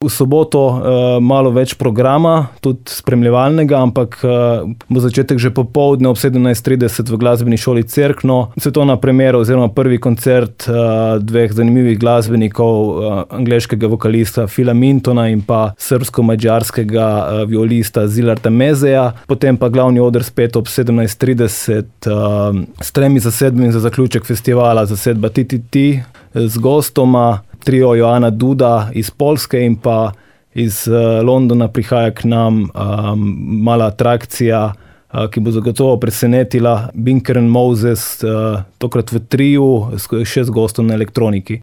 V soboto malo več programa, tudi spremljevalnega, ampak bo začetek že popoldne ob 17:30 v glasbeni šoli Cerkno. Svetovna premiera oziroma prvi koncert dveh zanimivih glasbenikov, angleškega vokalista Phila Mintona in pa srbsko-madžarskega violista Zilarta Mezeja. Potem pa glavni oder spet ob 17:30 s tremi zasedbami za zaključek festivala, zasedba TTT z gostoma. Trio Joana Duda iz Poljske in pa iz Londona prihaja k nam mala atrakcija, ki bo zagotovo presenetila. Binker and Moses, tokrat v triu, še z gostom na elektroniki.